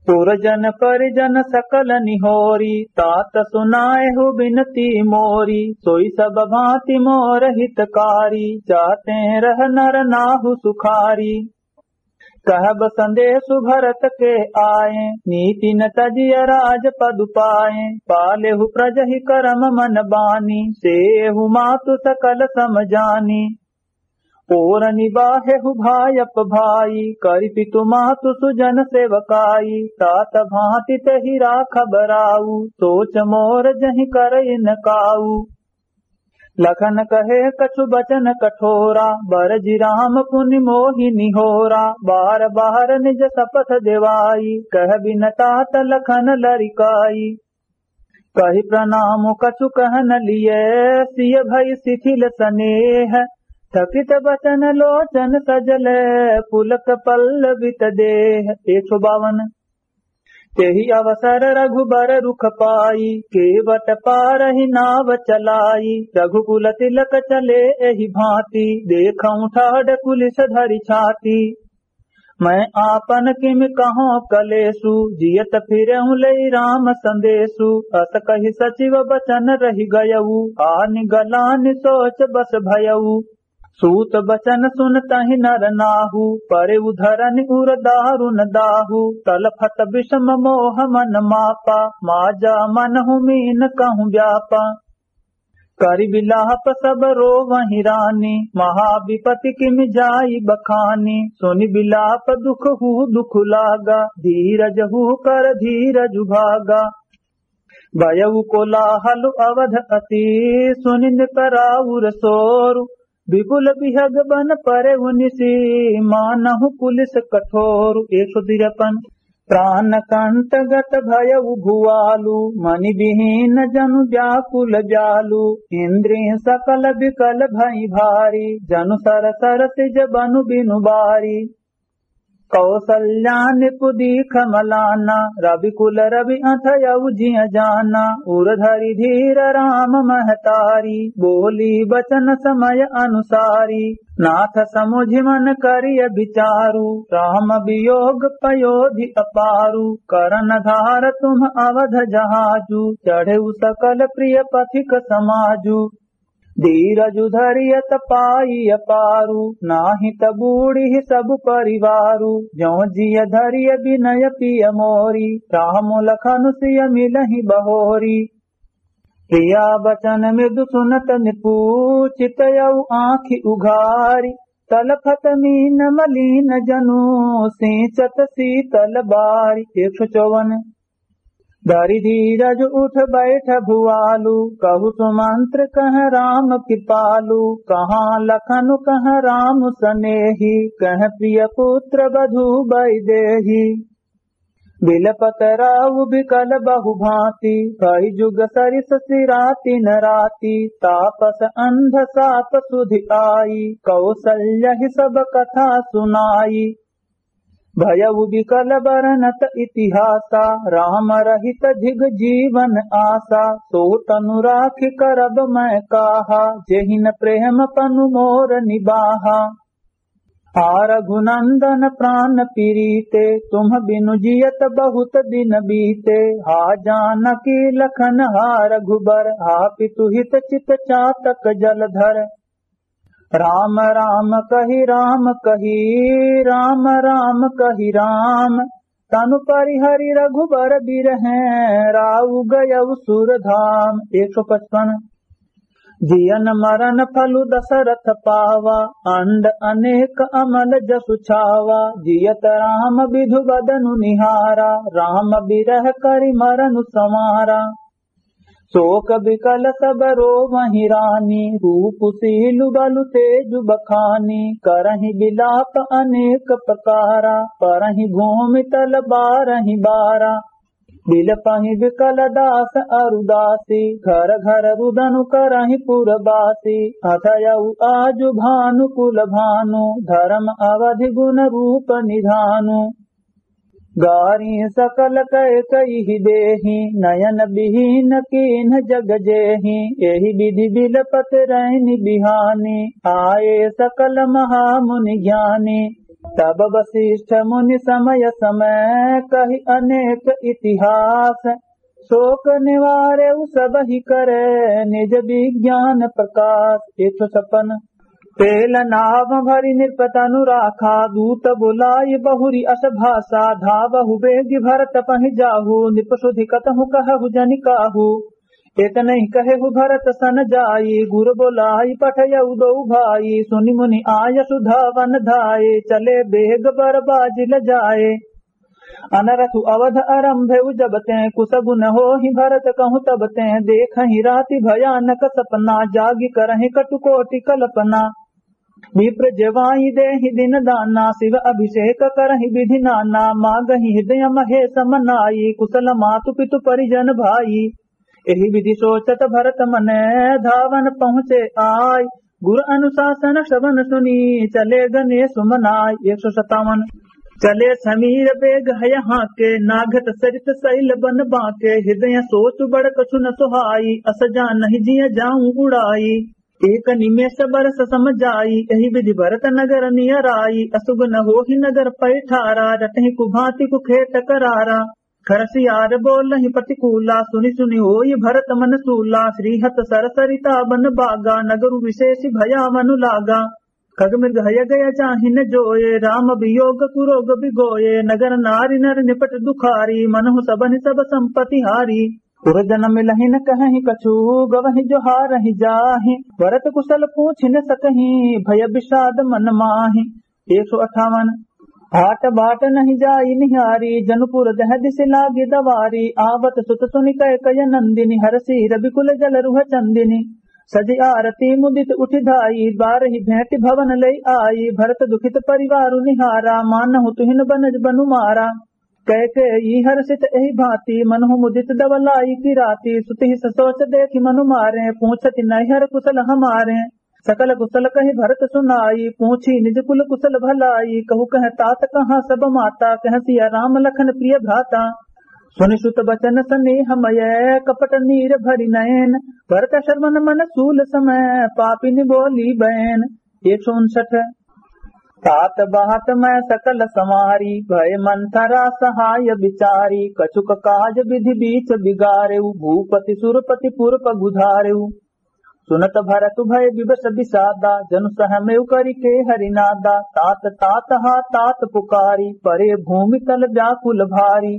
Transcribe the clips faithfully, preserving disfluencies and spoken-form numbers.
पुरजन परिजन सकल निहोरी, तात सुनाए हु बिनती मोरी। सोई सब भांति मोर हितकारी, जाते रह नर नाहु सुखारी। कहब संदेशु भरत के आए, नीति न तजिय राज पदु पाए। पालेहु प्रजहि करम मन बानी, सेहु मातु सकल सम जानी। ओर निबाहेहु भायप भाई, करि पितु मातु सुजन सेवकाई। तात भांति तेहि राखब राऊ, सोच मोर जहि करइ न काऊ। लखन कहे कछु बचन कठोरा, बरजि राम पुनि मोहि निहोरा। बार बार निज सपथ देवाई, कह बिन तात लखन लरिकाई। कहि प्रणाम कछु कहन लिए, सिय भई शिथिल सनेह। थकित बचन लोचन सजल, पुलक पल्लवित देह। एक सौ बावन। तेहि अवसर रघुबर रुख पाई, केवट पारहि नाव चलाई। रघुकुल तिलक चले एहि भांति, देखउँ ठाढ़ कुलिस धरि छाती। मैं आपन किम कहौं कलेसु, जियत फिरउँ लेइ राम संदेसु। अस कहि सचिव बचन रहि गयउ, आनि गलानि सोच बस भयउ। सूत बचन सुनतहि नर नाहु, परेउ धरनि उर दारुन दाहु। तलफत बिषम मोह मन मापा, माजा मनहु मीन कहूँ व्यापा। करि बिलाप सब रोवहि रानी, महाविपति किम जाई बखानी। सुनि बिलाप दुख हू दुख लागा, धीरज हू कर धीरज भागा। भयउ कोलाहल अवध अति, सुनि नृप राउर सोरु। विपुल बिहग बन परेउ निसि, मानहु कुलिस कठोरु। एक सौ तिरपन। प्राण कंठ गत भयउ भुआलु, मनि बिहीन जनु व्याकुल जालु। इंद्रिय सकल बिकल भई भारी, जनु सर सर सिज बनु बिनु बारी। कौसल्या नृप दीख मलाना, रविकुल रवि अथयउ जिय जाना। उर धरि धीर राम महतारी, बोली बचन समय अनुसारी। नाथ समुझि मन करिय बिचारु, राम वियोग पयोधि अपारु। करन धार तुम्ह अवध जहाजु, चढ़ेउ सकल प्रिय पथिक समाजु। धीरजु धरियत पाई अपारु, नाहि त बूढ़िहि सब परिवारु। जौं जिय धरिय बिनय पिय मोरी, राम लखन सिय मिलहि बहोरी। प्रिया बचन मृदु सुनत नृपु, चितयउ आँखि उघारी। तलफत मीन मलीन जनु, सींचत शीतल बारी। एक सौ चौवन। धरि धीरज उठ बैठ भुआलु, कहु सुमंत्र कह राम कृपालु। कहाँ लखन कह राम सनेही, कह प्रिय पुत्र बधु बैदेही। बिलपत राउ बिकल बहु भांति, भई जुग सरिस सिरातिन राति। तापस अंध साप सुधि आई, कौसल्यहि सब कथा सुनाई। भयउ बिकल बरनत इतिहासा, राम रहित धिग जीवन आसा। सो तनु राखि करब मैं काहा, जेहिन प्रेम पनु मोर निबाहा। हा रघुनंदन प्रान पिरीते, तुम्ह बिनु जियत बहुत दिन बीते। हा जानकी लखन हा रघुबर, हा पितु हित चित चातक जलधर। राम राम कहि राम कहि, राम राम कहि राम। तनु परिहरि रघुबर बिरहें, राउ गयउ सुरधाम। एक सौ पचपन। जियन मरन फलु दशरथ पावा, अंड अनेक अमल जसु छावा। जियत राम बिधु बदनु निहारा, राम बिरह करि मरनु संवारा। शोक बिकल सब रोवहि रानी, रूप सीलु बलु तेजु बखानी। करहि बिलाप अनेक प्रकारा, परहि भूमि तल बारहि बारा। बिलपहि बिकल दास अरु दासी, घर घर रुदनु करहि पुरबासी। अथयउ आजु भानु कुल भानु, धरम अवधि गुन रूप निधानु। गारी सकल कैकयी देही, नयन बिहीन कीन्ह जग जेही। एहि बिधि बिलपत रैनि बिहानी, आए सकल महामुनि ज्ञानी। तब वशिष्ठ मुनि समय समय कहि अनेक इतिहास। शोक निवारेउ सबहि करे निज विज्ञान प्रकाश। एक सौ छप्पन। तेल नाव भरि नृप तनु राखा, दूत बोलाइ बहुरि अस भाषा। धावहु बेगि भरत पहि जाहु, नृप सुधि कतहु कहहु जनि काहू। एतनहि कहेहु भरत सन जाई, गुर बोलाइ पठयउ दो भाई। सुनि मुनि आयसु धावन धाए, चले बेग बर बाजि लजाए। अनरथु अवध आरंभेउ जब तें, कुस गुन होहि भरत कहूँ तब तें। देखहि राति भयानक सपना, जागि करहिं कटु कोटि कल्पना। विप्र जेवाइ देहि दिन दाना, शिव अभिषेक करहिं विधि नाना। मागहिं हृदय महेश मनाई, कुशल मातु पितु परिजन भाई। एहि विधि सोचत भरत मन, धावन पहुँचे आय। गुर अनुशासन श्रवण सुनि, चले गणेश मनाय। एक सौ सत्तावन। चले समीर बेग हय हाँके, नाघत सरित सैल बन बाँके। हृदय सोच बड़ कछु न सुहाई, अस जानहि जिय जाऊँ उड़ाई। एक निमेष बरस सम जाई, एहि विधि भरत नगर नियराई। असुगुन होहि नगर पैठारा, रटहि कुभाँति कुखेट करारा। खरसियार बोलहिं प्रतिकूला, सुनि सुनि होई भरत मन सूला। श्रीहत सर सरिता बन बागा, नगरु विशेष भयावन लागा। खग मृग हय गय जाहिन जोए, राम वियोग कुरोग बिगोए। नगर नारि नर निपट दुखारी, मनहु सबहि सब संपति हारी। उर जन मिलहिं न कहहिं कछु, गवहिं जोहारहिं जाहिं। भरत कुशल पूछि न सकहिं, भय विषाद मन माहिं। एक सौ अट्ठावन। भाट भाट नहीं जाई निहारी, जनुपुर दह दिस लागी दवारी। आवत सुत सुनि कैकय नंदिनी, हरषि रविकुल जल रुह चंदिनी। सजि आरती मुदित उठि धाई, बारहि भेंटि भवन लई आई। भरत दुखित परिवारु निहारा, मानहु तुहिन बनज बनु मारा। कैकेयी हरषित एहि भाँति, मनहु मुदित दव लाइ की राति। सुत ही ससोच देखि मनु मारे, पूछति नैहर कुशल हमारे। सकल कुशल कहि भरत सुनाई, पूछी निज कुल कुशल भलाई। कहु कह तात कहाँ सब माता, कह सिया राम लखन प्रिय भ्राता। सुनि सुत बचन सनेह मय, कपट नीर भरि नयन। भरत श्रवण मन सूल समय, पापिनि बोली बैन। एक सौ उनसठ। तात बात मैं सकल संवारी, भय मंथरा सहाय बिचारी। कछुक काज विधि बीच बिगारेउ, भूपति सुरपति पुर पगुधारेउ। सुनत भरत भय विवश विषादा, जनु सहमेउ करि केहरि नादा। तात तात हा तात पुकारी, परे भूमि तल व्याकुल भारी।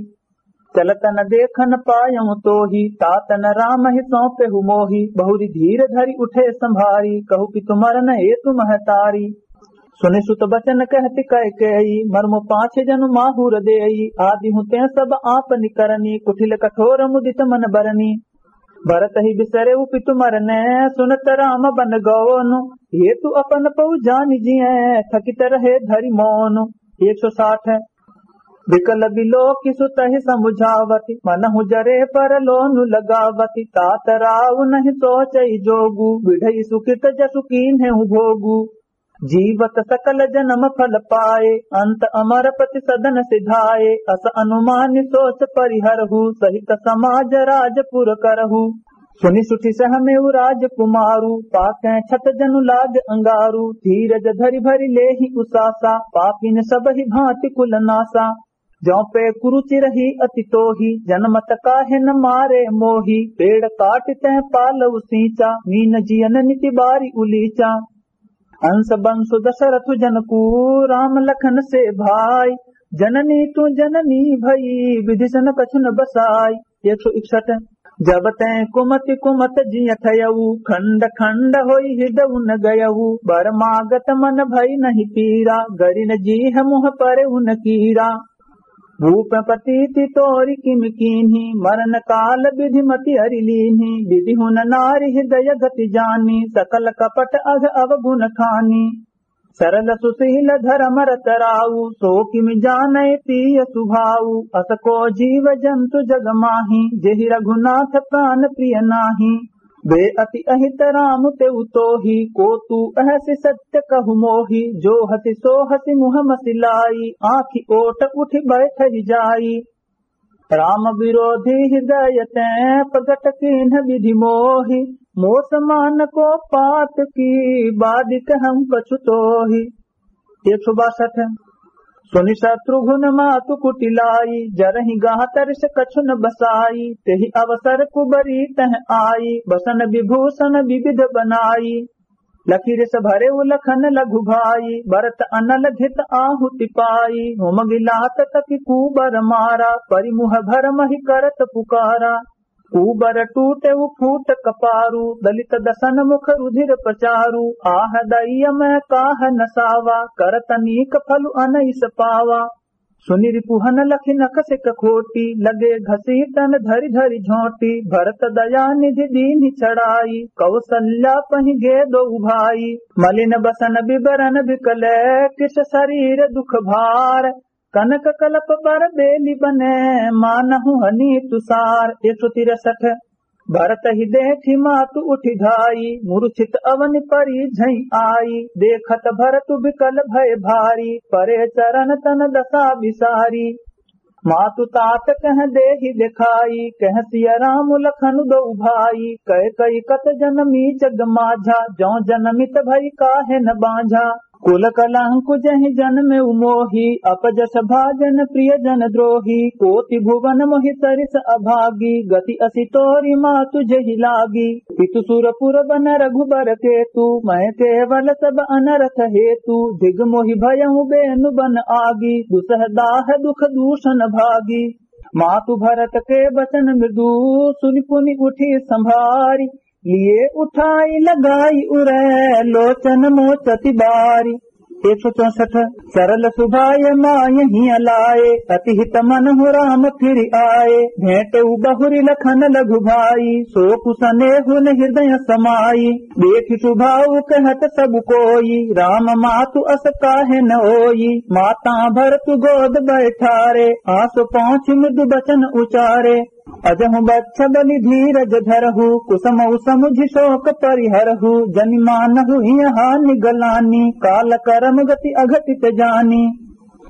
चलत न देखन पायउ तोही, तात न रामहि सौंपेहु मोही। बहुरि धीर धरि उठे संभारी, कहु पितु मरन हेतु महतारी। सुनि सुत बचन कहति कैकेयी, मर्मु पाँच जनु माहुर देई। आदिहु तें सब आपनि करनी, कुटिल कठोर मुदित मन बरनी। भरत ही बिसरेउ पितु मरने, सुनत राम बन गओनु। हेतु अपन पउ जानि जिए, थकित रहे धरि मौनु। एक सौ साठ। विकल बिलोकि सुतहि समुझावति, मनहु जरे पर लोनु लगावति। तात राउ नहीं सोचइ जोगु, बिढ़ई सुकृत जसु कीन्हेउ भोगु। जीवत सकल जनम फल पाए, अंत अमर पति सदन सिधाए। अस अनुमानि सोच परिहरहु, सहित समाज राजपुर करहु। सुनि सुठि सहमेउ राजकुमारु, पाकै छत जनु लाग अंगारु। धीरज धरि भरि लेहि उसासा, पापिन सबहि भाँति कुल नासा। जौं पे कुरुचि रही अति तोही, जनमत काहे न मारे मोही। पेड़ काटि तैं पालउ सींचा, मीन जियन निति बारि उलीचा। अंस बंसु दशरथु जनकू, राम लखन से भाई। जननी तू जननी भई, विधि सन कछु न बसाई। एक सौ इकसठ। जब तैं कुमति कुमत जिय थयऊ, खंड खंड होई हृदउ न गयऊ। बर मागत मन भई नहीं पीरा, गरिन जीह मुह परेउ न कीरा। भूप प्रतीति तोरि किम कीन्ही, मरन काल विधि मति अरि लीन्ही। विधि हुन नारि हृदय गति जानी, सकल कपट अघ अवगुन खानी। सरल सुशील धरम रत राऊ, सो किम जानै पीय सुभाऊ। अस को जीव जंतु जग माही, जेहि रघुनाथ प्रान प्रिय नाही। वे अति अहित राम तेउ तोही, को तू अहसि सत्य कहु मोही। जो हसि सो हसि मुह मसि लाई, आँखि ओट उठि बैठहि जाई। राम विरोधी हृदय तैं, प्रगट कीन्ह विधि मोहि। मोस मान को पात की, बादि कहउँ कछु तोहि। एक सौ बासठ। सुनि शत्रुघ्न मातु कुटिलाई, जरहि गह तरिस कछु न बसाई। तेहि अवसर कुबरी तह आई, बसन विभूषण विविध बनाई। लखि रिस भरेउ लखन लघु भाई, बरत अनल धित आहुति पाई। होम गिलात तकि कुबर मारा, परिमुह भरमहि करत पुकारा। कुबर टूटेउ फूट कपारु, दलित दसन मुख रुधिर पचारु। आह दइय मै काह नसावा, करत नीक फलु अनइस पावा। सुनि रिपुहन लखि नखसि कखोटी, लगे घसीटन धरि धरि झोटी। भरत दया निधि दीन्हि चढ़ाई, कौसल्या पहि गे दोउ भाई। मलिन बसन विबरन बिकले, कृस सरीर दुख भार। कनक कलप बर बेलि बने, मानहु हनी तुसार। एक सौ तिरसठ। भरत ही देखि मातु उठि धाई, मूर्छित अवनि परि झइ आई। देखत भरतु बिकल भए भारी, परे चरन तन दसा बिसारी। मातु तात कह देहि देखाई, कह सिय राम लखन दोउ भाई। कैकई कत जनमी जग माझा, जौं जनमित भई काहे न बाँझा। कुल कलंकु जहि जनमेउ मोही, अपजस भा जन प्रिय जन द्रोही। कोटि भुवन मोहि सरिस अभागी, गति असि तोरि मातु जेहि लागी। पितु सुरपुर बन रघुबर केतु, मए केवल सब अनरथ हेतु। दिग मोहि भयउ बेनु बन आगी, दुसह दाह दुख दूषन भागी। मातु भरत के बचन मृदु, सुनि पुनि उठि सँभारि। लिए उठाई लगाई उरै, लोचन मोचति बारि। एक सौ चौसठ। सरल सुभाय माय हिय लाए, अति हित मनहु राम फिरि आए। भेंटेउ बहुरि लखन लघु भाई, सोकु सनेहु न हृदय समाई। देखि सुभाउ कहत सब कोई, राम मातु अस काहे न होई। माता भरतु गोद बैठारे, आस पहुँचि मृदु बचन उचारे। अजहु बच्छ बलि धीरज धरहु, कुसमउ समुझि शोक परिहरहु। जनि मानहु हिय हानि गलानी, काल करम गति अघटित जानी।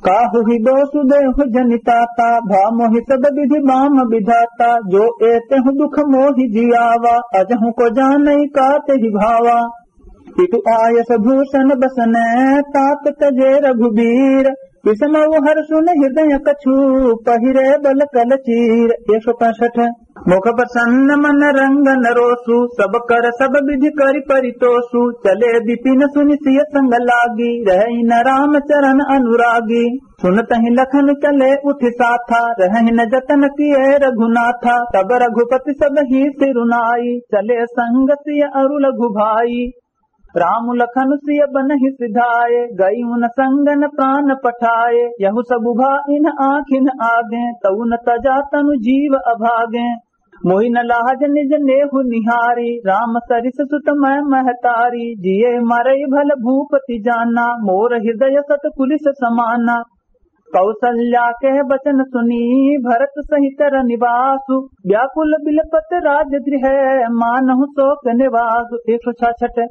काहु ही दोसु देहु जनि ताता, भा मोहि सब विधि बाम विधाता। जो एतेहु दुख मोहि जियावा, अजहु को जानइ का तेहि भावा। इतु आयस भूषण बसने, तात तजे रघुबीर। विषमउ हरसु न हृदय कछु, पहिरे बल कल चीर। एक सौ पैंसठ। मुख प्रसन्न मन रंग नरोसु, सब कर सब विधि करि परितोषु। चले बिपिन सुनि सिय संग लागी, रहइ न राम चरण अनुरागी। सुनतहि लखन चले उठि साथा, रहइ न जतन किए रघुनाथा। तब रघुपति सब ही सिरुनाई, चले संग सिय अरु लघु भाई। राम लखन सिय बनहि सिधाए, गई उन संगन प्राण पठाए। यहु सब भा इन आँखिन आगे, तउ न तजा तनु जीव अभागे। मोहि न लाज निज नेहु निहारी, राम सरिस सुत मय महतारी। जिए मरइ भल भूपति जाना, मोर हृदय सत कुलिस समाना। कौसल्या के बचन सुनी, भरत सहित रनिवासु। व्याकुल बिलपत राजगृह, मानहु शोक निवासु। एक सौ छाछठ।